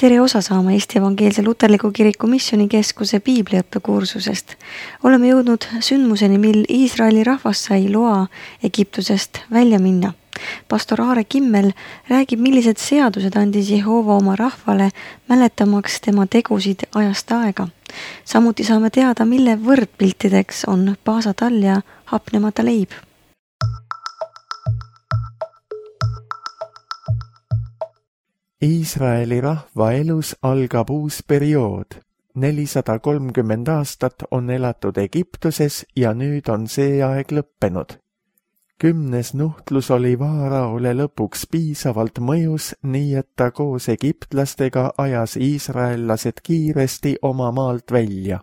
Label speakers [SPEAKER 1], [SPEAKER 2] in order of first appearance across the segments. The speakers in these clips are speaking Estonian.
[SPEAKER 1] Tere osa saama Eesti Evangeelse Luterliku Kiriku Missioonikeskuse piibliõppekursusest. Oleme jõudnud sündmuseni, mil Iisraeli rahvas sai loa Egiptusest välja minna. Pastor Aare Kimmel räägib, millised seadused andis Jehova oma rahvale, mäletamaks tema tegusid ajast aega. Samuti saame teada, mille võrdpiltideks on paasatall ja hapnemata leib.
[SPEAKER 2] Iisraeli rahva elus algab uus periood. 430 aastat on elatud Egiptuses ja nüüd on see aeg lõppenud. 10. nuhtlus oli Vaaraole lõpuks piisavalt mõjus, nii et ta koos egiptlastega ajas iisraellased kiiresti oma maalt välja.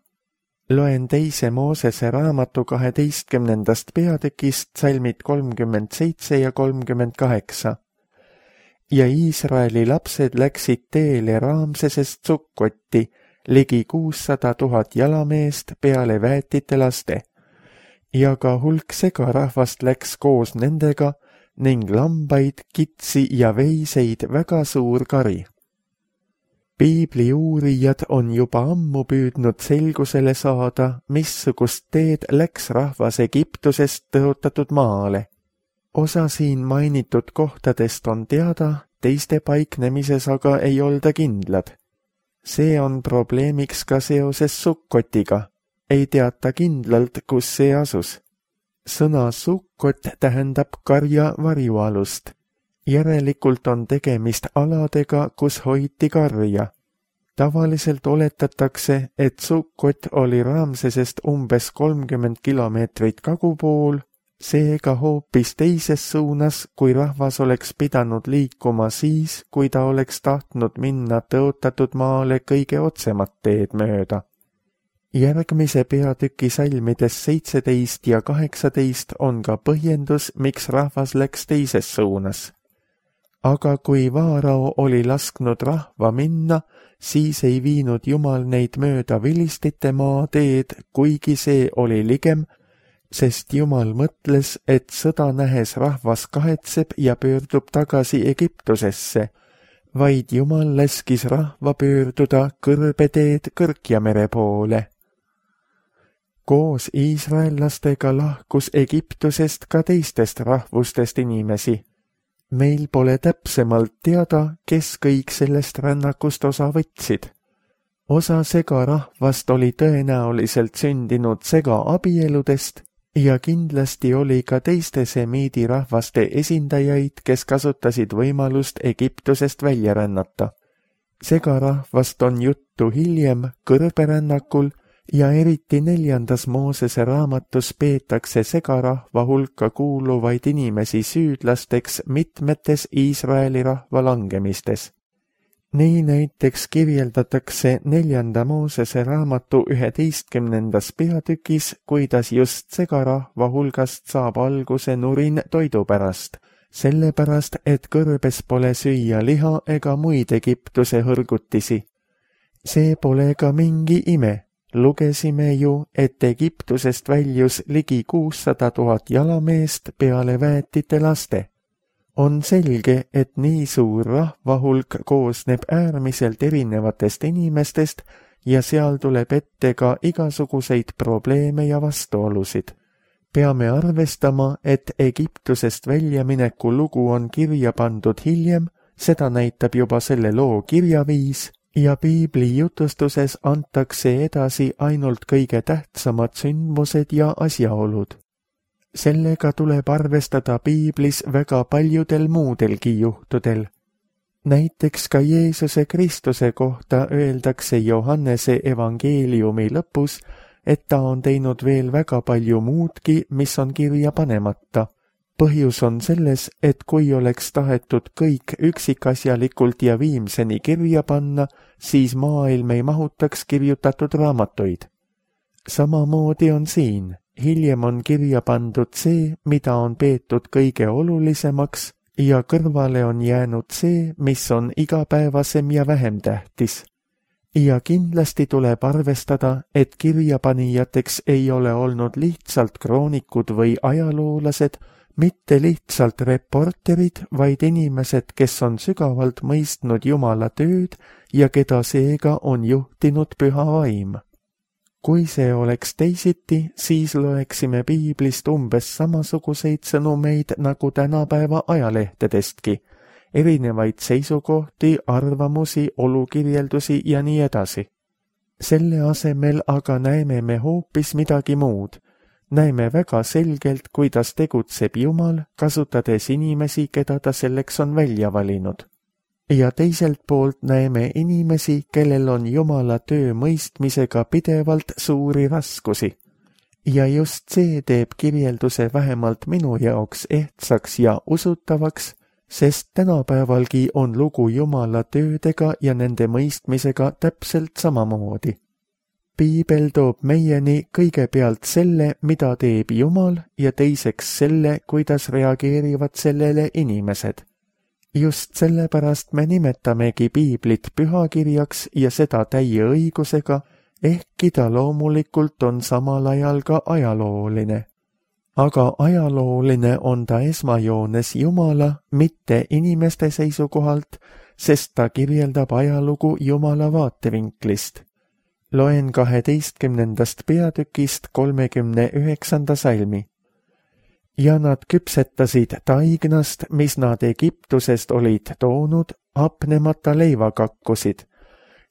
[SPEAKER 2] Loen 2. Moosese raamatu 12. peatükist salmid 37 ja 38. Ja Iisraeli lapsed läksid teele Raamsesest Sukkotti, ligi 600 000 jalameest peale väetite laste. Ja ka hulk segarahvast läks koos nendega ning lambaid, kitsi ja veiseid väga suur kari. Piibli uurijad on juba ammu püüdnud selgusele saada, missugust teed läks rahvas Egiptusest tõotatud maale. Osa siin mainitud kohtadest on teada, teiste paiknemises aga ei olda kindlad. See on probleemiks ka seoses Sukkotiga. Ei teata kindlalt, kus see asus. Sõna Sukkot tähendab karja varjualust. Järelikult on tegemist aladega, kus hoiti karja. Tavaliselt oletatakse, et Sukkot oli Raamsesest umbes 30 kilomeetrit kagupool, seega hoopis teises suunas, kui rahvas oleks pidanud liikuma siis, kui ta oleks tahtnud minna tõotatud maale kõige otsemat teed mööda. Järgmise peatüki salmides 17 ja 18 on ka põhjendus, miks rahvas läks teises suunas. Aga kui Vaarao oli lasknud rahva minna, siis ei viinud Jumal neid mööda vilistite maateed, kuigi see oli ligem, sest Jumal mõtles, et sõda nähes rahvas kahetseb ja pöördub tagasi Egiptusesse, vaid Jumal laskis rahva pöörduda kõrbeteed Kõrkjamere poole. Koos iisraellastega lahkus Egiptusest ka teistest rahvustest inimesi. Meil pole täpsemalt teada, kes kõik sellest rännakust osa võtsid. Osa segarahvast oli tõenäoliselt sündinud segaabieludest ja kindlasti oli ka teiste semiidi rahvaste esindajaid, kes kasutasid võimalust Egiptusest välja rännata. Segarahvast on juttu hiljem kõrberännakul ja eriti 4. Moosese raamatus peetakse segarahva hulka kuuluvaid inimesi süüdlasteks mitmetes Iisraeli rahva langemistes. Nii näiteks kirjeldatakse 4. Moosese raamatu 11. peatükis, kuidas just segarahva hulgast saab alguse nurin toidu pärast, sellepärast, et kõrbes pole süüa liha ega muid Egiptuse hõrgutisi. See pole ka mingi ime. Lugesime ju, et Egiptusest väljus ligi 600 000 jalameest peale väetite laste. On selge, et nii suur rahvahulk koosneb äärmiselt erinevatest inimestest ja seal tuleb ette ka igasuguseid probleeme ja vastuolusid. Peame arvestama, et Egiptusest väljamineku lugu on kirja pandud hiljem, seda näitab juba selle loo kirjaviis, ja piibli jutustuses antakse edasi ainult kõige tähtsamad sündmused ja asjaolud. Sellega tuleb arvestada piiblis väga paljudel muudelgi juhtudel. Näiteks ka Jeesuse Kristuse kohta öeldakse Johannese evangeeliumi lõpus, et ta on teinud veel väga palju muudki, mis on kirja panemata. Põhjus on selles, et kui oleks tahetud kõik üksikasjalikult ja viimseni kirja panna, siis maailm ei mahutaks kirjutatud raamatuid. Samamoodi on siin. Hiljem on kirja pandud see, mida on peetud kõige olulisemaks ja kõrvale on jäänud see, mis on igapäevasem ja vähem tähtis. Ja kindlasti tuleb arvestada, et kirjapanijateks ei ole olnud lihtsalt kroonikud või ajaloolased, mitte lihtsalt reporterid, vaid inimesed, kes on sügavalt mõistnud Jumala tööd ja keda seega on juhtinud Püha Vaim. Kui see oleks teisiti, siis loeksime piiblist umbes samasuguseid sõnumeid nagu tänapäeva ajalehtedestki, erinevaid seisukohti, arvamusi, olukirjeldusi ja nii edasi. Selle asemel aga näeme me hoopis midagi muud. Näeme väga selgelt, kuidas tegutseb Jumal, kasutades inimesi, keda ta selleks on välja valinud. Ja teiselt poolt näeme inimesi, kellel on Jumala töö mõistmisega pidevalt suuri raskusi. Ja just see teeb kirjelduse vähemalt minu jaoks ehtsaks ja usutavaks, sest tänapäevalgi on lugu Jumala töödega ja nende mõistmisega täpselt samamoodi. Piibel toob meieni kõigepealt selle, mida teeb Jumal, ja teiseks selle, kuidas reageerivad sellele inimesed. Just sellepärast me nimetamegi piiblit pühakirjaks ja seda täie õigusega, ehkki ta loomulikult on samal ajal ka ajalooline. Aga ajalooline on ta esmajoones Jumala, mitte inimeste seisukohalt, sest ta kirjeldab ajalugu Jumala vaatevinklist. Loen 12. peatükist 39. salmi. Ja nad küpsetasid taignast, mis nad Egiptusest olid toonud, hapnemata leivakakkusid.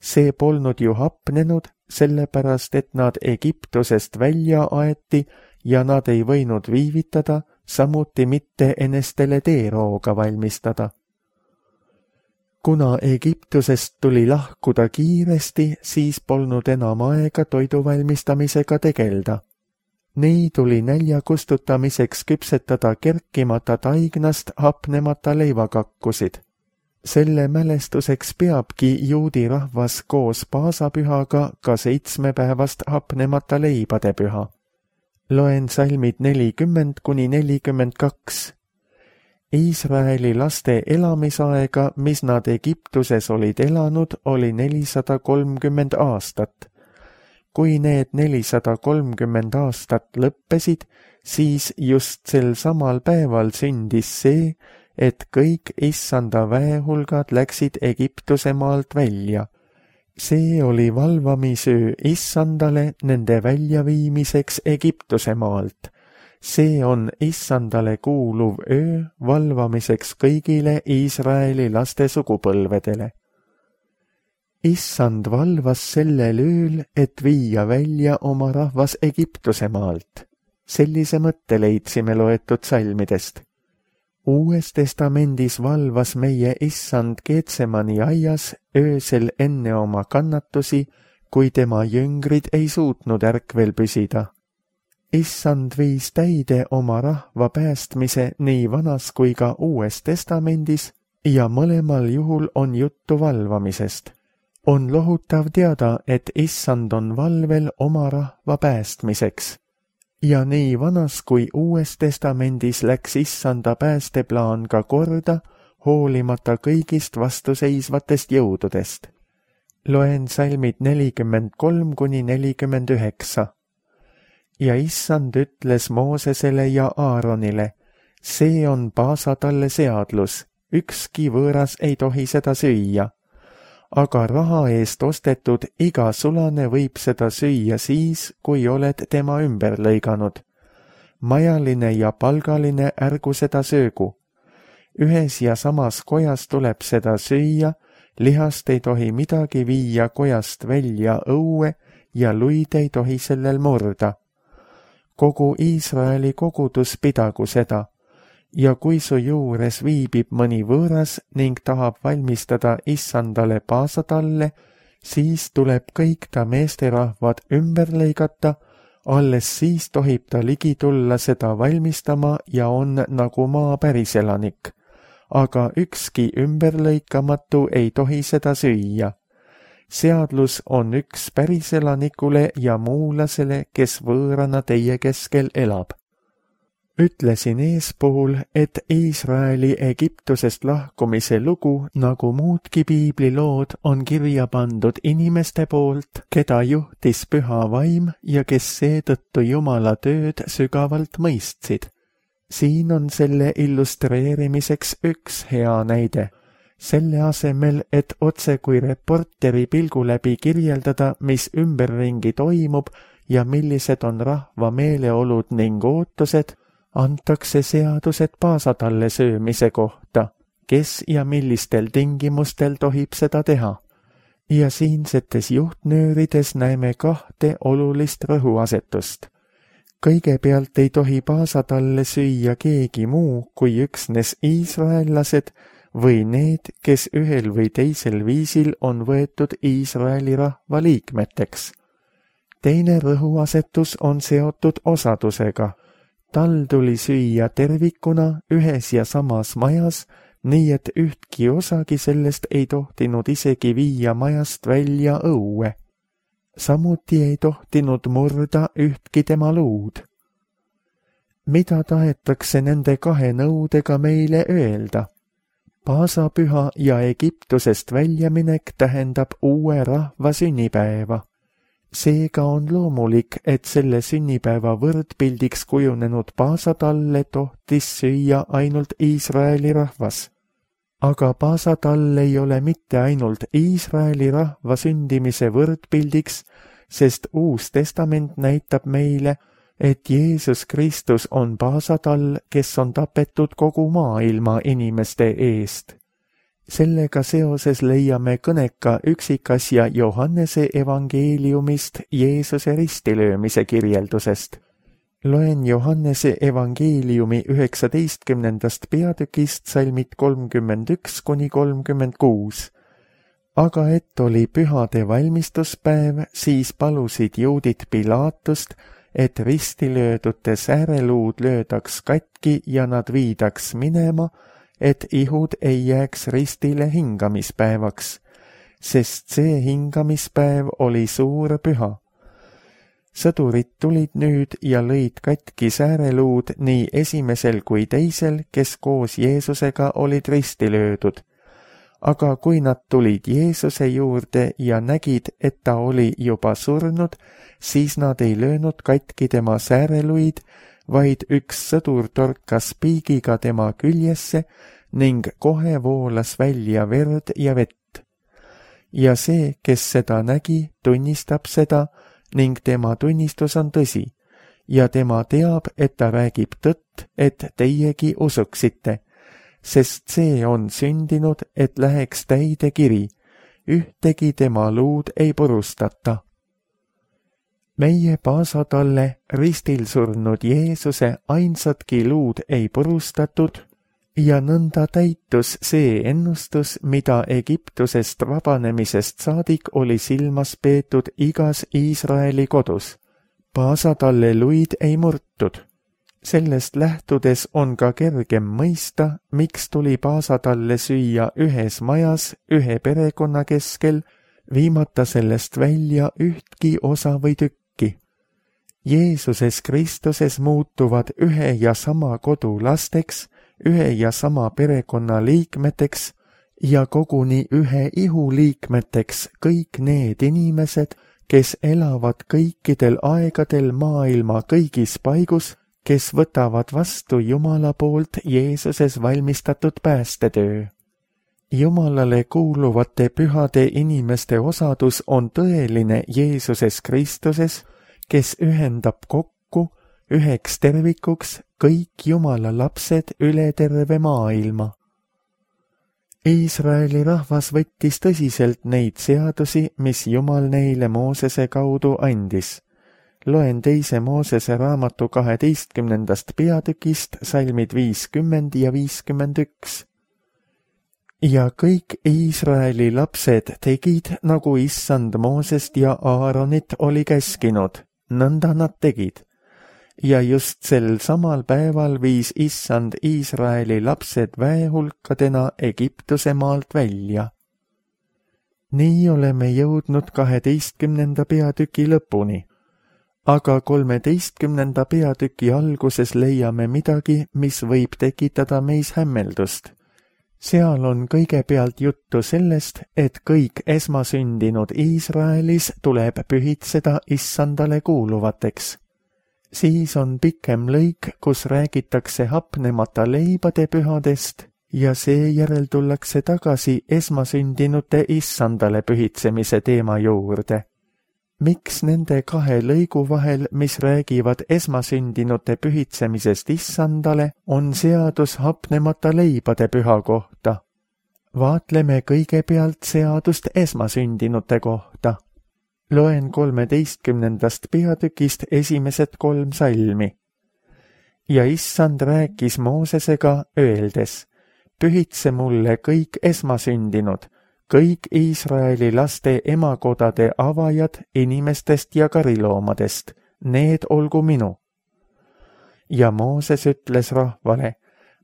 [SPEAKER 2] See polnud ju hapnenud, sellepärast et nad Egiptusest välja aeti ja nad ei võinud viivitada, samuti mitte enestele teerooga valmistada. Kuna Egiptusest tuli lahkuda kiiresti, siis polnud enam aega toidu valmistamisega tegelda. Nii tuli nälja kustutamiseks küpsetada kerkimata taignast hapnemata leivakakkusid. Selle mälestuseks peabki juudi rahvas koos paasapühaga ka 7-päevast hapnemata leibade püha. Loen salmid 40–42. Iisraeli laste elamisaega, mis nad Egiptuses olid elanud, oli 430 aastat. Kui need 430 aastat lõppesid, siis just sel samal päeval sündis see, et kõik issanda väehulgad läksid Egiptuse maalt välja. See oli valvamisöö issandale nende väljaviimiseks Egiptuse maalt. See on issandale kuuluv öö valvamiseks kõigile Iisraeli laste sugupõlvedele. Issand valvas sellel ööl, et viia välja oma rahvas Egiptuse maalt. Sellise mõtte leidsime loetud salmidest. Uues testamendis valvas meie issand Getsemani aias öösel enne oma kannatusi, kui tema jüngrid ei suutnud ärkvel püsida. Issand viis täide oma rahva päästmise nii vanas kui ka uues testamendis ja mõlemal juhul on juttu valvamisest. On lohutav teada, et issand on valvel oma rahva päästmiseks. Ja nii vanas kui uues testamendis läks issanda päästeplaan ka korda, hoolimata kõigist vastuseisvatest jõududest. Loen salmid 43–49. Ja issand ütles Moosesele ja Aaronile, see on paasatalle seadlus, ükski võõras ei tohi seda süüa. Aga raha eest ostetud iga sulane võib seda süüa siis, kui oled tema ümber lõiganud. Majaline ja palgaline ärgu seda söögu. Ühes ja samas kojas tuleb seda süüa, lihast ei tohi midagi viia kojast välja õue ja luid ei tohi sellel murda. Kogu Iisraeli kogudus pidagu seda. Ja kui su juures viibib mõni võõras ning tahab valmistada issandale paasatalle, siis tuleb kõik ta meesterahvad ümber lõigata, alles siis tohib ta ligi tulla seda valmistama ja on nagu maa päriselanik. Aga ükski ümberlõikamatu ei tohi seda süüa. Seadlus on üks päriselanikule ja muulasele, kes võõrana teie keskel elab. Ütlesin eespool, et Iisraeli Egiptusest lahkumise lugu, nagu muudki piiblilood, on kirja pandud inimeste poolt, keda juhtis Püha Vaim ja kes seetõttu Jumala tööd sügavalt mõistsid. Siin on selle illustreerimiseks üks hea näide. Selle asemel, et otse kui reporteri pilgu läbi kirjeldada, mis ümberringi toimub ja millised on rahva meeleolud ning ootused, antakse seadused paasatalle söömise kohta, kes ja millistel tingimustel tohib seda teha. Ja siinsetes juhtnöörides näeme kahte olulist rõhuasetust. Kõigepealt ei tohi paasatalle süüa keegi muu kui üksnes iisraellased või need, kes ühel või teisel viisil on võetud Iisraeli rahva liikmeteks. Teine rõhuasetus on seotud osadusega. Tal tuli süüa tervikuna ühes ja samas majas, nii et ühtki osagi sellest ei tohtinud isegi viia majast välja õue. Samuti ei tohtinud murda ühtki tema luud. Mida tahetakse nende kahe nõudega meile öelda? Paasapüha ja Egiptusest väljaminek tähendab uue rahva sünnipäeva. Seega on loomulik, et selle sünnipäeva võrdpildiks kujunenud paasatalle tohtis süüa ainult Iisraeli rahvas. Aga paasatall ei ole mitte ainult Iisraeli rahva sündimise võrdpildiks, sest Uus Testament näitab meile, et Jeesus Kristus on paasatall, kes on tapetud kogu maailma inimeste eest. Sellega seoses leiame kõneka üksikasja Johannese evangeeliumist Jeesuse ristilöömise kirjeldusest. Loen Johannese evangeeliumi 19. peatükist salmid 31–36. Aga et oli pühade valmistuspäev, siis palusid juudid Pilaatust, et ristilöödute sääreluud löödaks katki ja nad viidaks minema, et ihud ei jääks ristile hingamispäevaks, sest see hingamispäev oli suur püha. Sõdurid tulid nüüd ja lõid katki sääreluud nii esimesel kui teisel, kes koos Jeesusega olid risti löödud. Aga kui nad tulid Jeesuse juurde ja nägid, et ta oli juba surnud, siis nad ei löönud katki tema sääreluid, vaid üks sõdur torkas piigiga tema küljesse ning kohe voolas välja verd ja vett. Ja see, kes seda nägi, tunnistab seda ning tema tunnistus on tõsi ja tema teab, et ta räägib tõtt, et teiegi usuksite, sest see on sündinud, et läheks täide kiri, ühtegi tema luud ei purustata. Meie paasatalle ristil surnud Jeesuse ainsatki luud ei purustatud ja nõnda täitus see ennustus, mida Egiptusest vabanemisest saadik oli silmas peetud igas Iisraeli kodus. Paasatalle luid ei murtud. Sellest lähtudes on ka kergem mõista, miks tuli paasatalle süüa ühes majas ühe perekonna keskel, viimata sellest välja ühtki osa või tükki. Jeesuses Kristuses muutuvad ühe ja sama kodu lasteks, ühe ja sama perekonna liikmeteks ja koguni ühe ihu liikmeteks kõik need inimesed, kes elavad kõikidel aegadel maailma kõigis paigus, kes võtavad vastu Jumala poolt Jeesuses valmistatud päästetöö. Jumalale kuuluvate pühade inimeste osadus on tõeline Jeesuses Kristuses, kes ühendab kokku üheks tervikuks kõik Jumala lapsed üle terve maailma. Iisraeli rahvas võttis tõsiselt neid seadusi, mis Jumal neile Moosese kaudu andis. Loen 2. Moosese raamatu 12. peatükist salmid 50 ja 51. Ja kõik Iisraeli lapsed tegid, nagu issand Moosest ja Aaronit oli käskinud, nõnda nad tegid. Ja just sel samal päeval viis issand Iisraeli lapsed väehulkadena Egiptuse maalt välja. Nii oleme jõudnud 12. peatüki lõpuni, aga 13. peatüki alguses leiame midagi, mis võib tekitada meis hämmeldust. Seal on kõigepealt juttu sellest, et kõik esmasündinud Iisraelis tuleb pühitseda issandale kuuluvateks. Siis on pikem lõik, kus räägitakse hapnemata leibade pühadest ja seejärel tullakse tagasi esmasündinute issandale pühitsemise teema juurde. Miks nende kahe lõigu vahel, mis räägivad esmasündinute pühitsemisest issandale, on seadus hapnemata leibade püha kohta? Vaatleme kõigepealt seadust esmasündinute kohta. Loen 13. peatükist esimesed 3 salmi. Ja issand rääkis Moosesega öeldes, pühitse mulle kõik esmasündinud, kõik Iisraeli laste emakodade avajad inimestest ja kariloomadest, need olgu minu. Ja Mooses ütles rahvale,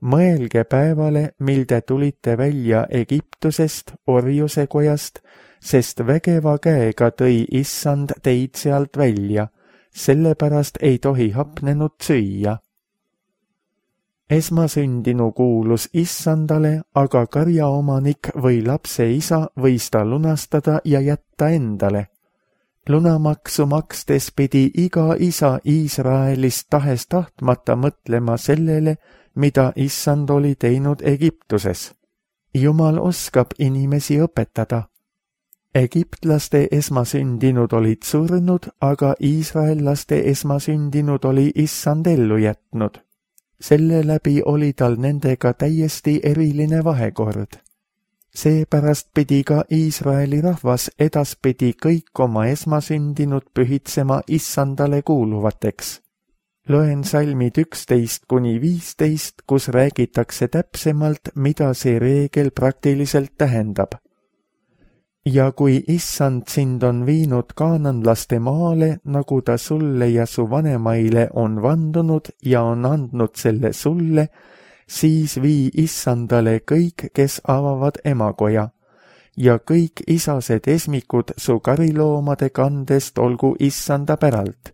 [SPEAKER 2] mõelge päevale, mil te tulite välja Egiptusest, orjuse kojast, sest vägeva käega tõi issand teid sealt välja, sellepärast ei tohi hapnenud süüa. Esmasündinu kuulus issandale, aga karjaomanik või lapse isa võis ta lunastada ja jätta endale. Lunamaksu makstes pidi iga isa Iisraelist tahes tahtmata mõtlema sellele, mida issand oli teinud Egiptuses. Jumal oskab inimesi õpetada. Egiptlaste esmasündinud olid surnud, aga iisraellaste esmasündinud oli issand ellu jätnud. Selle läbi oli tal nendega täiesti eriline vahekord. Seepärast pidi ka Iisraeli rahvas edaspidi kõik oma esmasündinud pühitsema issandale kuuluvateks. Loen salmid 11–15, kus räägitakse täpsemalt, mida see reegel praktiliselt tähendab. Ja kui issand sind on viinud kaananlaste maale, nagu ta sulle ja su vanemaile on vandunud ja on andnud selle sulle, siis vii issandale kõik, kes avavad emakoja, ja kõik isased esmikud su kariloomade kandest olgu issanda päralt.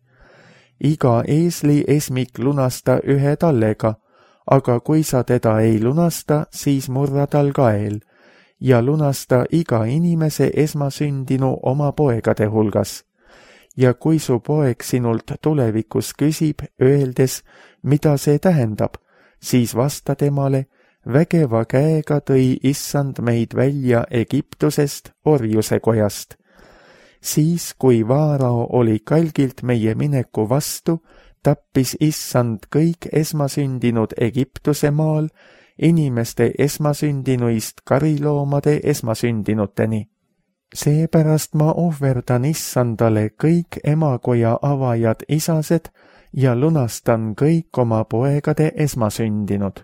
[SPEAKER 2] Iga eesli esmik lunasta 1 tallega, aga kui sa teda ei lunasta, siis murra tal kael, ja lunasta iga inimese esmasündinu oma poegade hulgas. Ja kui su poeg sinult tulevikus küsib, öeldes, mida see tähendab, siis vasta temale, vägeva käega tõi issand meid välja Egiptusest, orjuse kojast. Siis, kui Vaarao oli kalgilt meie mineku vastu, tappis issand kõik esmasündinud Egiptuse maal, inimeste esmasündinuist kariloomade esmasündinuteni. Seepärast ma ohverdan issandale kõik emakoja avajad isased ja lunastan kõik oma poegade esmasündinud.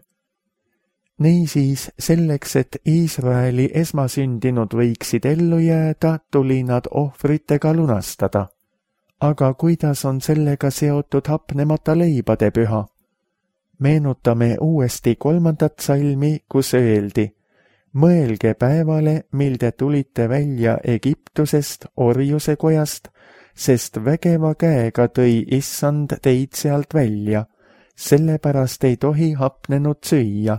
[SPEAKER 2] Niisiis, selleks, et Iisraeli esmasündinud võiksid ellu jääda, tuli nad ohvritega lunastada. Aga kuidas on sellega seotud hapnemata leibade püha? Meenutame uuesti 3. salmi, kus öeldi, mõelge päevale, mil te tulite välja Egiptusest, orjuse kojast, sest vägeva käega tõi issand teid sealt välja, sellepärast ei tohi hapnenud süüa.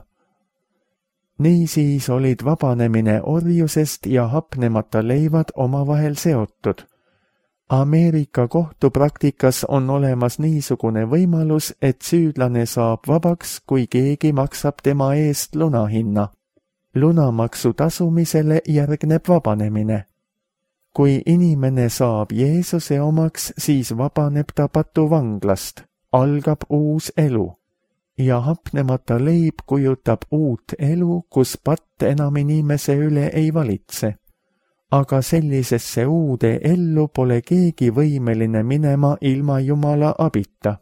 [SPEAKER 2] Niisiis olid vabanemine orjusest ja hapnemata leivad omavahel seotud. Ameerika kohtupraktikas on olemas niisugune võimalus, et süüdlane saab vabaks, kui keegi maksab tema eest lunahinna. Lunamaksu tasumisele järgneb vabanemine. Kui inimene saab Jeesuse omaks, siis vabaneb ta patuvanglast, algab uus elu. Ja hapnemata leib kujutab uut elu, kus patt enam inimese üle ei valitse. Aga sellisesse uude ellu pole keegi võimeline minema ilma Jumala abita.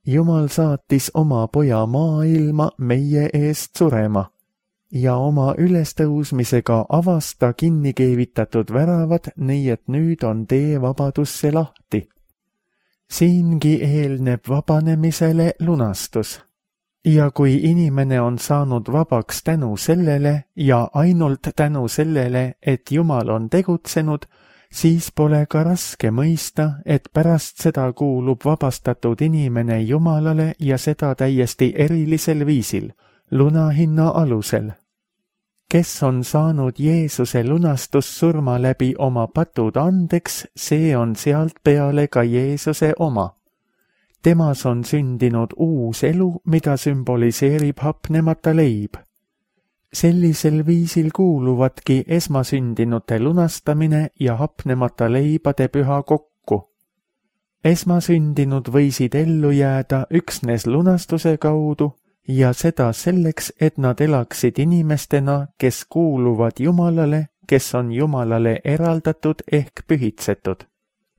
[SPEAKER 2] Jumal saatis oma poja maailma meie eest surema ja oma ülestõusmisega avas ta kinni keevitatud väravad, nii et nüüd on tee vabadusse lahti. Siingi eelneb vabanemisele lunastus. Ja kui inimene on saanud vabaks tänu sellele ja ainult tänu sellele, et Jumal on tegutsenud, siis pole ka raske mõista, et pärast seda kuulub vabastatud inimene Jumalale ja seda täiesti erilisel viisil, lunahinna alusel. Kes on saanud Jeesuse lunastussurma läbi oma patud andeks, see on sealt peale ka Jeesuse oma. Temas on sündinud uus elu, mida sümboliseerib hapnemata leib. Sellisel viisil kuuluvadki esmasündinute lunastamine ja hapnemata leibade püha kokku. Esmasündinud võisid ellu jääda üksnes lunastuse kaudu ja seda selleks, et nad elaksid inimestena, kes kuuluvad Jumalale, kes on Jumalale eraldatud ehk pühitsetud,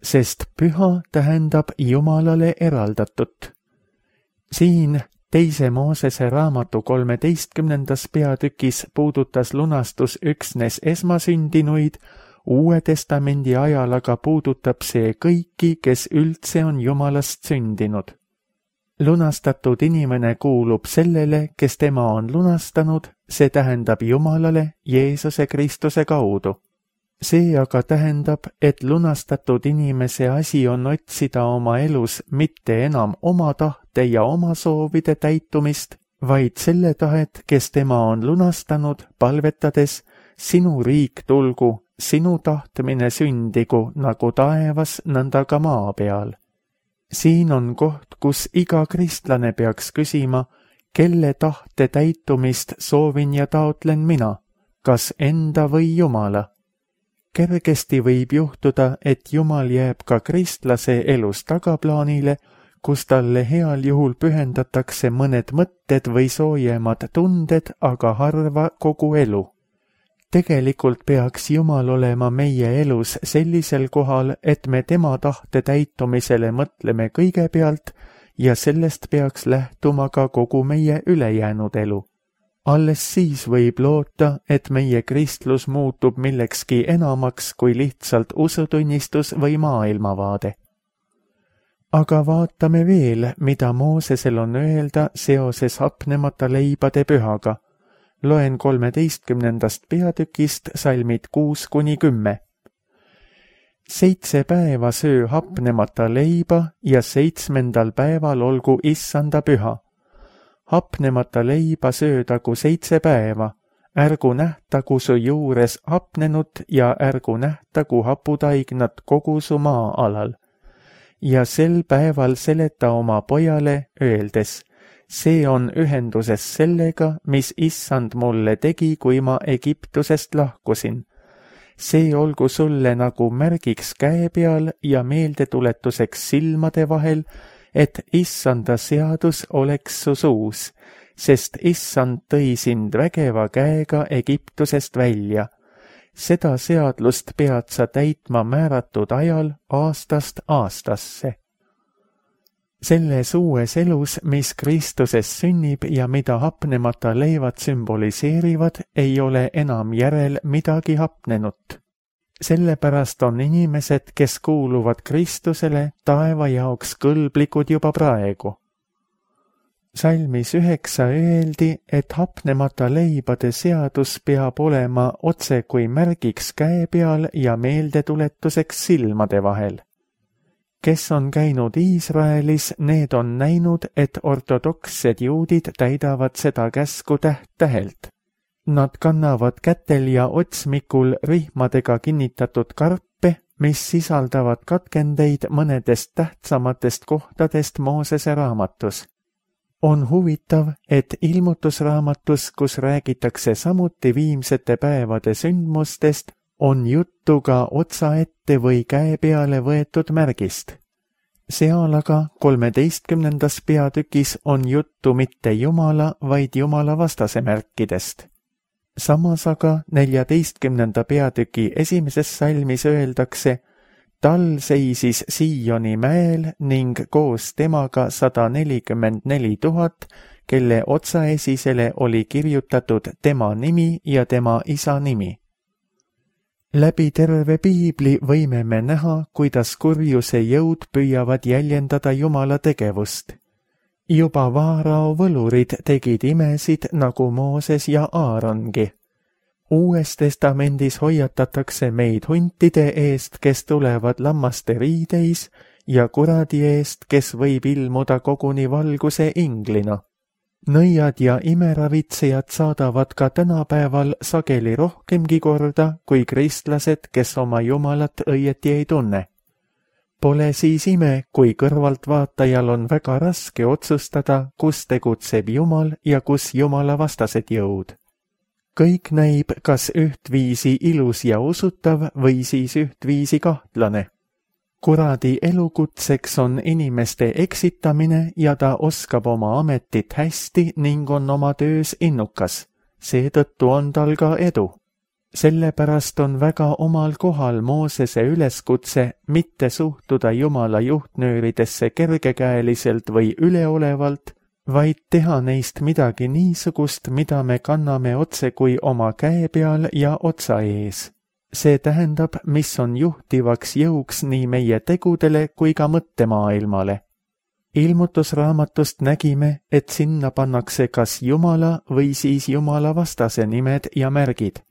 [SPEAKER 2] sest püha tähendab Jumalale eraldatut. Siin Teise Moosese raamatu 13. peatükis puudutas lunastus üksnes esmasündinuid, Uue Testamendi ajal aga puudutab see kõiki, kes üldse on Jumalast sündinud. Lunastatud inimene kuulub sellele, kes tema on lunastanud, see tähendab Jumalale Jeesuse Kristuse kaudu. See aga tähendab, et lunastatud inimese asi on otsida oma elus mitte enam oma tahte ja oma soovide täitumist, vaid selle tahet, kes tema on lunastanud, palvetades, sinu riik tulgu, sinu tahtmine sündigu nagu taevas, nõnda ka maa peal. Siin on koht, kus iga kristlane peaks küsima, kelle tahte täitumist soovin ja taotlen mina, kas enda või Jumala. Kergesti võib juhtuda, et Jumal jääb ka kristlase elus tagaplaanile, kus talle heal juhul pühendatakse mõned mõtted või soojemad tunded, aga harva kogu elu. Tegelikult peaks Jumal olema meie elus sellisel kohal, et me tema tahte täitumisele mõtleme kõigepealt ja sellest peaks lähtuma ka kogu meie ülejäänud elu. Alles siis võib loota, et meie kristlus muutub millekski enamaks kui lihtsalt usutunnistus või maailmavaade. Aga vaatame veel, mida Moosesel on öelda seoses hapnemata leibade pühaga. Loen 13. peatükist salmid 6-10. 7 päeva söö hapnemata leiba ja 7. päeval olgu issanda püha. Hapnemata leiba söödagu 7 päeva, ärgu nähtagu su juures hapnenut ja ärgu nähtagu haputaignat kogu su maa-alal. Ja sel päeval seleta oma pojale, öeldes, see on ühenduses sellega, mis issand mulle tegi, kui ma Egiptusest lahkusin. See olgu sulle nagu märgiks käe peal ja meeldetuletuseks silmade vahel, et issanda seadus oleks su suus, sest issand tõi sind vägeva käega Egiptusest välja. Seda seadlust pead sa täitma määratud ajal aastast aastasse. Selles uues elus, mis Kristuses sünnib ja mida hapnemata leivad sümboliseerivad, ei ole enam järel midagi hapnenut. Sellepärast on inimesed, kes kuuluvad Kristusele, taeva jaoks kõlblikud juba praegu. Salmis 9 öeldi, et hapnemata leibade seadus peab olema otse kui märgiks käe peal ja meeldetuletuseks silmade vahel. Kes on käinud Iisraelis, need on näinud, et ortodokssed juudid täidavad seda käsku täht-tähelt. Nad kannavad kätel ja otsmikul rihmadega kinnitatud karpe, mis sisaldavad katkendeid mõnedest tähtsamatest kohtadest Moosese raamatus. On huvitav, et ilmutusraamatus, kus räägitakse samuti viimsete päevade sündmustest, on juttu ka otsaette või käe peale võetud märgist. Seal aga 13. peatükis on juttu mitte Jumala, vaid Jumala vastase märkidest. Samas aga 14. peatüki 1. salmis öeldakse, tal seisis Sioni mäel ning koos temaga 144 000, kelle otsaesisele oli kirjutatud tema nimi ja tema isa nimi. Läbi terve piibli võime me näha, kuidas kurjuse jõud püüavad jäljendada Jumala tegevust. Juba Vaarao võlurid tegid imesid nagu Mooses ja Aarongi. Uues testamendis hoiatatakse meid huntide eest, kes tulevad lammaste riideis, ja kuradi eest, kes võib ilmuda koguni valguse inglina. Nõiad ja imeravitsejad saadavad ka tänapäeval sageli rohkemgi korda kui kristlased, kes oma Jumalat õieti ei tunne. Pole siis ime, kui kõrvaltvaatajal on väga raske otsustada, kus tegutseb Jumal ja kus Jumala vastased jõud. Kõik näib kas ühtviisi ilus ja usutav või siis ühtviisi kahtlane. Kuradi elukutseks on inimeste eksitamine ja ta oskab oma ametit hästi ning on oma töös innukas. Seetõttu on tal ka edu. Sellepärast on väga omal kohal Moosese üleskutse mitte suhtuda Jumala juhtnööridesse kergekäeliselt või üleolevalt, vaid teha neist midagi niisugust, mida me kanname otse kui oma käe peal ja otsa ees. See tähendab, mis on juhtivaks jõuks nii meie tegudele kui ka mõttemaailmale. Ilmutusraamatust nägime, et sinna pannakse kas Jumala või siis Jumala vastase nimed ja märgid.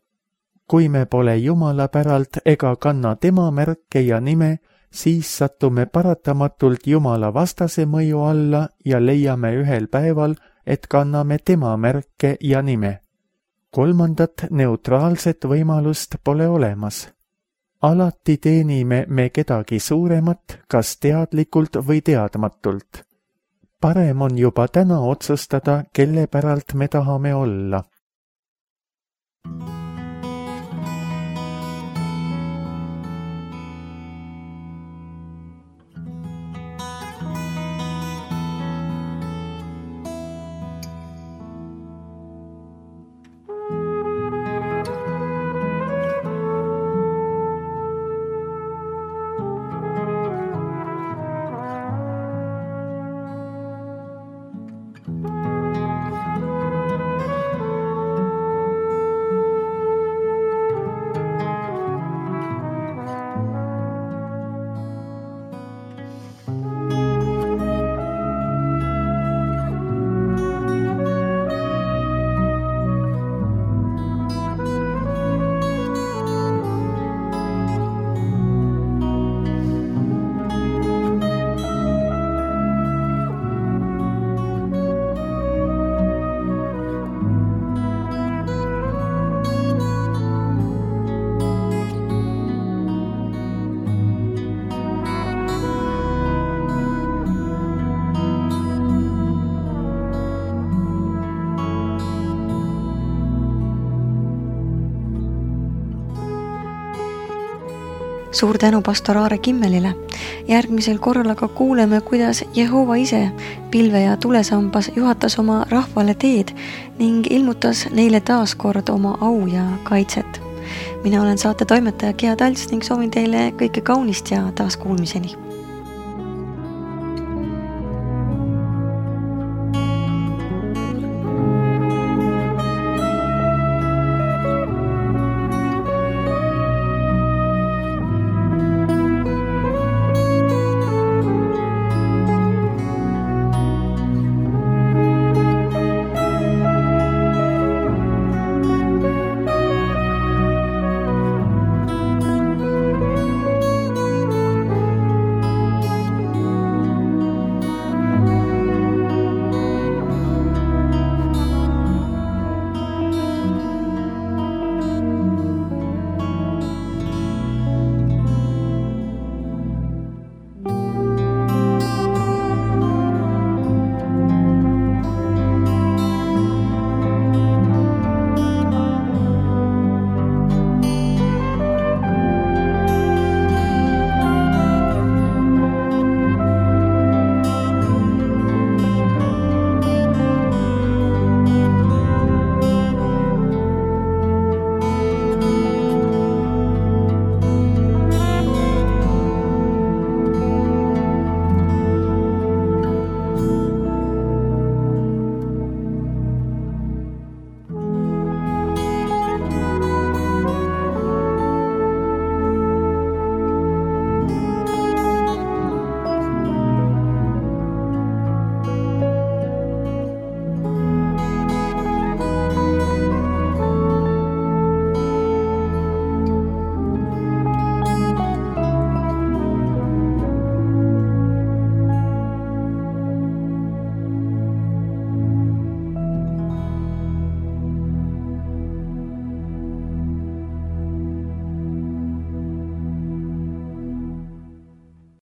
[SPEAKER 2] Kui me pole Jumala päralt ega kanna tema märke ja nime, siis sattume paratamatult Jumala vastase mõju alla ja leiame ühel päeval, et kanname tema märke ja nime. Kolmandat neutraalset võimalust pole olemas. Alati teenime me kedagi suuremat, kas teadlikult või teadmatult. Parem on juba täna otsustada, kelle päralt me tahame olla.
[SPEAKER 1] Suur tänu pastor Aare Kimmelile. Järgmisel korral aga kuuleme, kuidas Jehova ise pilve ja tulesambas juhatas oma rahvale teed ning ilmutas neile taas kord oma au ja kaitset. Mina olen saate toimetaja Gea Talts ning soovin teile kõike kaunist ja taas kuulmiseni.